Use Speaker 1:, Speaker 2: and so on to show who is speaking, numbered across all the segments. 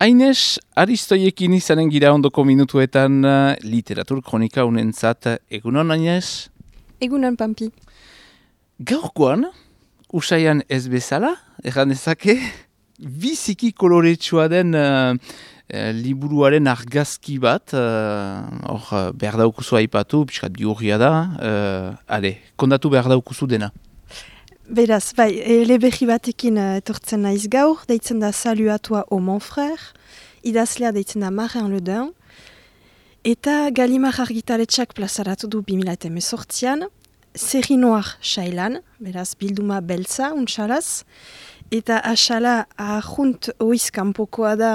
Speaker 1: Aines Aristoiekin izanen gira ondoko minutuetan literatur kronika unentzat. Egunon, Aines?
Speaker 2: Egunon, Pampi.
Speaker 1: Gaurkoan, usaian ez bezala, erran ezake, biziki koloretsua den liburuaren argazki bat, behar daukuzu aipatu, piskat biurria da, kondatu behar daukuzu dena.
Speaker 2: Beraz, bai, eleberri batekin etortzen naiz gaur, deitzen da Salut à toi au mon frère, idazlea deitzen da Marin Le Dain, eta Gallimard argitaletxak plazaratu du 2018an, Série Noir xailan, beraz, bilduma beltza, untxalaz, eta asala ahunt oiz kanpokoa da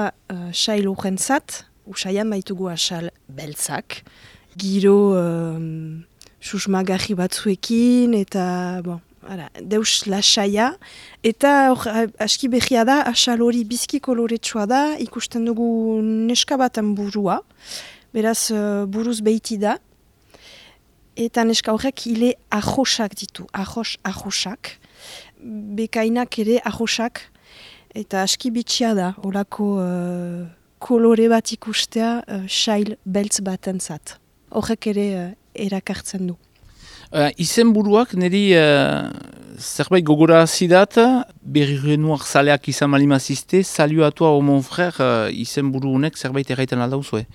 Speaker 2: xail urrentzat, usaian baitugu asal beltzak, giro susmagarri batzuekin, eta, bon, deus lasaia, eta aski behia da, asal hori bizki koloretsua da, ikusten dugu neska baten burua, beraz buruz behiti da, eta neska horrek hile ahosak ditu, ahosak, bekainak ere ahosak, eta aski bitxia da, horako kolore bat ikustea xail beltz batentzat. Horrek ere erakartzen du.
Speaker 1: Izen buruak niri zerbait gogora zidat, Berri Noir zaleak izan malimazizte, Salut à toi au mon frère izen buru honek zerbait erraiten aldauzue?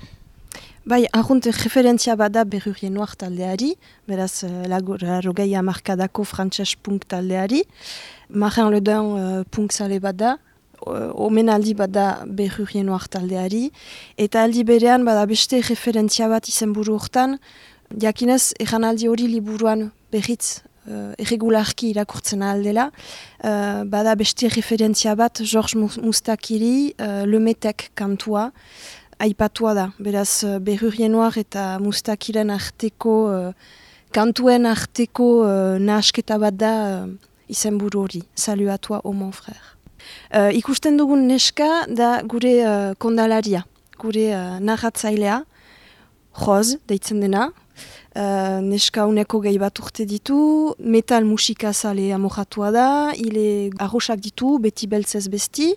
Speaker 2: Bai, ahunt referentzia bada Berri Noir taldeari, beraz rogei hamarkadako frantses punk taldeari, Marin Le Dain punk zale bada, omenaldi bada Berri Noir taldeari, eta aldi berean bada beste referentzia bat izen buru hortan, jakinez, erranaldi hori liburuan berriz irregularki irakurtzen aldela, bada beste referentzia bat Georges Moustakiri, Lemetek kantua, aipatua da. Beraz, Berri Noir eta Moustakiren arteko, kantuen arteko nahasketa bat da izenburu hori, Salut à toi au mon frère. Ikusten dugun neska da gure kondalaria, gure narratzailea, Roz, deitzen dena, neska uneko gehi bat urte ditu, metal musika zale amoratua da, hile arrosak ditu, beti beltzez besti,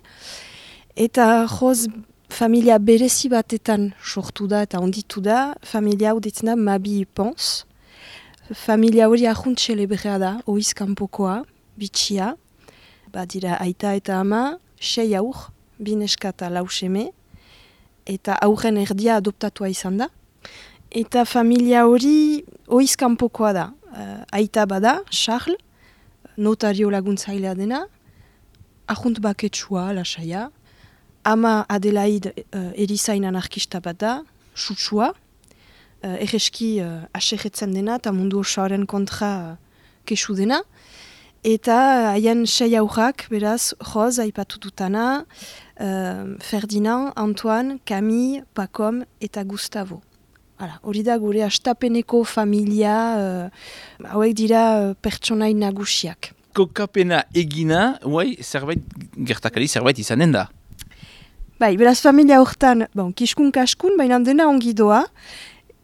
Speaker 2: eta Roz familia berezi batetan sortu da eta onditu da, familia hau deitzen da Mabi Pons. Familia hori ahunt celebrea da, oiz kanpokoa, bitxia, badira aita eta ama, 6 aur, 2 neska eta 4 seme, eta aurren erdia adoptatua izan da. Eta familia hori oiz kanpokoa da. Aita bada, Charles, notario laguntzailea dena, ahunt baketsua, lasaia, ama Adelaide erizain anarkista bat da, sutsua, erreski aserretzen dena eta mundu osoaren kontra kesu dena. Eta haien 6 aurrak, beraz, Roz aipatu dutana, Ferdinand, Antoine, Camille, Pacom eta Gustavo. Hori da gure astapeneko familia, hauek dira pertsonai nagusiak.
Speaker 1: Kokapena egina, zerbait gertakari zerbait izanen da?
Speaker 2: Bai, beraz familia hortan, kiskun-kaskun, baina dena ongi doa,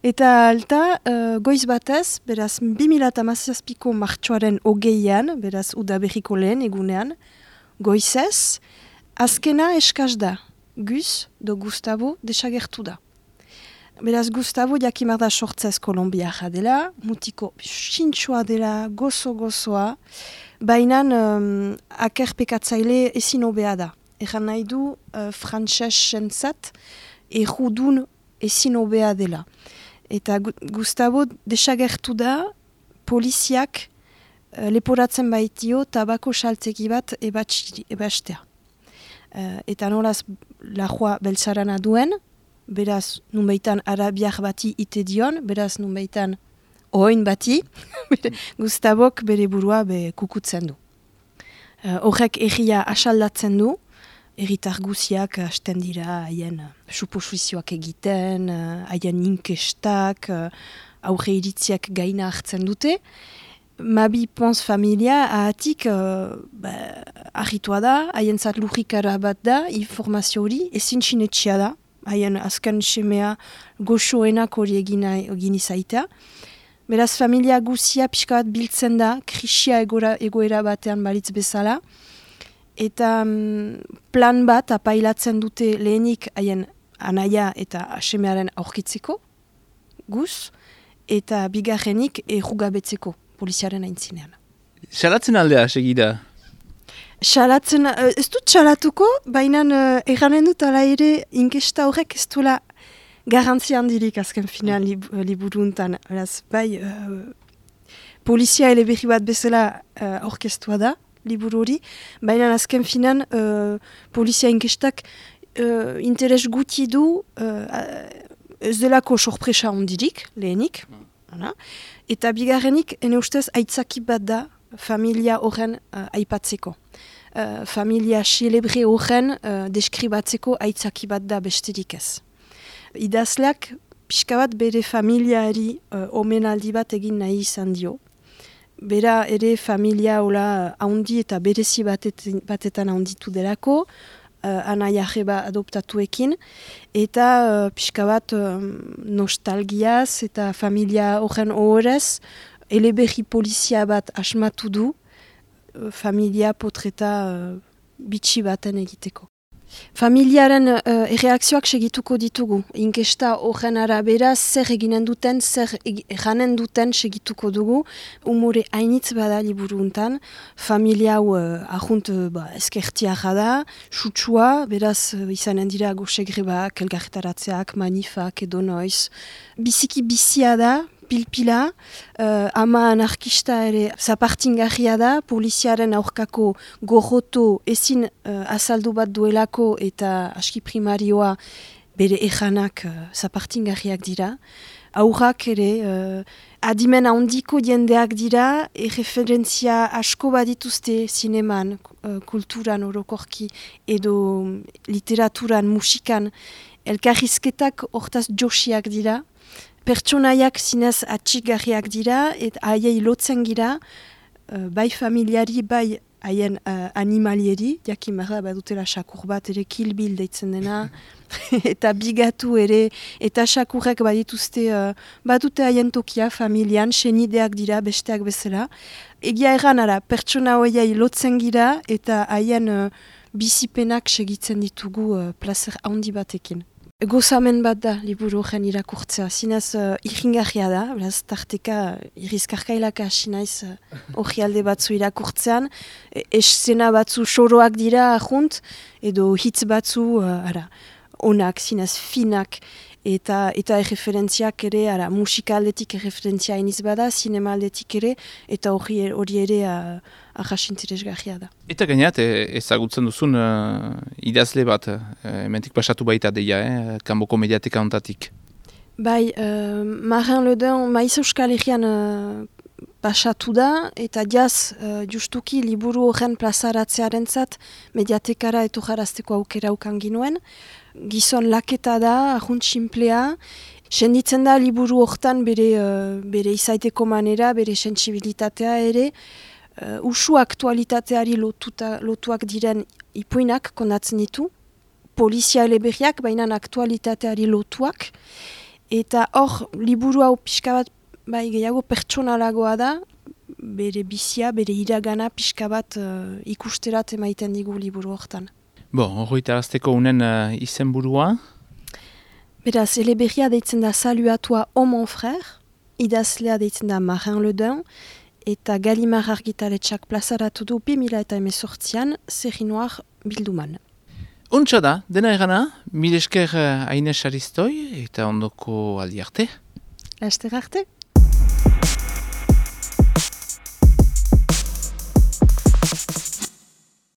Speaker 2: eta alta goiz batez, beraz 2017ko martxoaren 20an, beraz udaberriko lehen egunean, goizez, azkena eskaz da, Gus do Gustavo desagertu da. Beraz Gustavo jakimar da sortzez kolombiarra dela, mutiko sintxoa dela, gozo-gozoa, baina akerpekatzaile ezin hobea da. Egan nahi du frantsesentzat errudun ezin hobea dela. Eta Gustavo desagertu da poliziak leporatzen baitio tabako saltegi bat ebastea. Eta nolaz lajua beltzarana duen, beraz nunbaitan arabiak bati ite dion, beraz nunbaitan oin bati, Gustavok bere burua kukutzen du. Horrek erria asaldatzen du, erritar guziak hasten dira haien suposizioak egiten, haien inkestak, aurre iritziak gaina hartzen dute. Mabi Pons familia ahatik argitua da, haien zat lurrikara bat da, informazio hori, ezin sinetxia da, haien azken semea goxoenak hori egin izaitea. Beraz, familia guzia pixka bat biltzen da, krisia egoera batean balitz bezala, eta plan bat apailatzen dute lehenik haien anaia eta semearen aurkitzeko, guz, eta bigarrenik errugabetzeko poliziaren aintzinean.
Speaker 1: Salatzen aldea, segida?
Speaker 2: Salatzen, ez dut salatuko, baina erranen dut ala ere inkesta horrek ez duela garantzia handirik azken finean liburuntan. Bai, polizia eleberri bat bezala orkestua da, liburu hori, baina azken finean polizia inkestak interes guti du ez delako sorpresa handirik, lehenik, eta bigarrenik, ene ustez, aitzaki bat da familia horren aipatzeko. Familia celebre horren deskribatzeko aitzaki bat da besterik ez. Idazleak pixka bat bere familiari omenaldi bat egin nahi izan dio. Bera ere familia hola haundi eta berezi batetan haunditu delako, anaia jeba adoptatuekin, eta pixka bat nostalgiaz eta familia horren ohorez, eleberri polizia bat asmatu du, familia potreta bitxi baten egiteko. Familiaren erreakzioak segituko ditugu. Inkesta horren arabera zer eginen duten, zer eranen duten segituko dugu. Umore hainitz bada liburu untan. Familia hau ahunt eskertiara da, sutsua, beraz izanen dira gosegrebak, elgarretaratzeak, manifak edo noiz. Biziki bizia da, pilpila, ama anarkista ere zapartingarria da, poliziaren aurkako gorroto ezin azaldu bat duelako eta aski primarioa bere ejanak zapartingarriak dira. Aurrak ere adimen handiko jendeak dira, referentzia asko badituzte zineman, kulturan orokorki edo literaturan, musikan, elkarrizketak hortaz josiak dira. Pertsonaiak zinez atxigarriak dira, eta haiei lotzen gira, bai familiari, bai haien animalieri, jakimarra badutela sakur bat ere kilbil deitzen dena, eta bigatu ere, eta sakurrek badituzte, badute haien tokia familian, senideak dira besteak bezala. Egia erran ara, pertsona horiei lotzen gira, eta haien bizipenak segitzen ditugu plazer handi batekin. Gozamen bat da, liburu horren irakurtzea. Zinez irringarria da, beraz, tarteka irizkarkailaka sinaiz hori alde batzu irakurtzean. Eszena batzu soroak dira ahunt, edo hitz batzu onak, zinez finak, eta erreferentziak ere, musika aldetik erreferentzia iniz bada, sinema aldetik ere, eta hori ere arrasinteresgarria da.
Speaker 1: Eta gainat, ezagutzen duzun idazle bat, hementik pasatu baita deia, kanboko mediateka ontatik.
Speaker 2: Bai, Marin Le Dain Maiz Euskal Herrian pasatu da, eta jaz justuki liburu horren plazaratzearen zat mediatekara eto jarazteko aukera ukan ginuen. Gizon laketa da, ahunt simplea, senditzen da liburu hortan bere izaiteko manera, bere sentsibilitatea ere, usu aktualitateari lotuak diren ipuinak kondatzen ditu, polizia eleberriak, baina aktualitateari lotuak, eta hor liburu hau pixka bat gehiago pertsonalagoa da, bere bizia, bere iragana pixka bat ikusterat emaiten digu liburu hortan.
Speaker 1: Horreita azteko unen izenburua?
Speaker 2: Beraz, eleberria deitzen da Saluatua o mon frère, idazlea deitzen da Marin Le Dain, eta Galimar argitaletxak plazaratu du 2018an Série Noire bilduman.
Speaker 1: Untsa da, dena egana, mil esker Aines Aristoi eta ondoko aldi arte.
Speaker 2: Laster arte.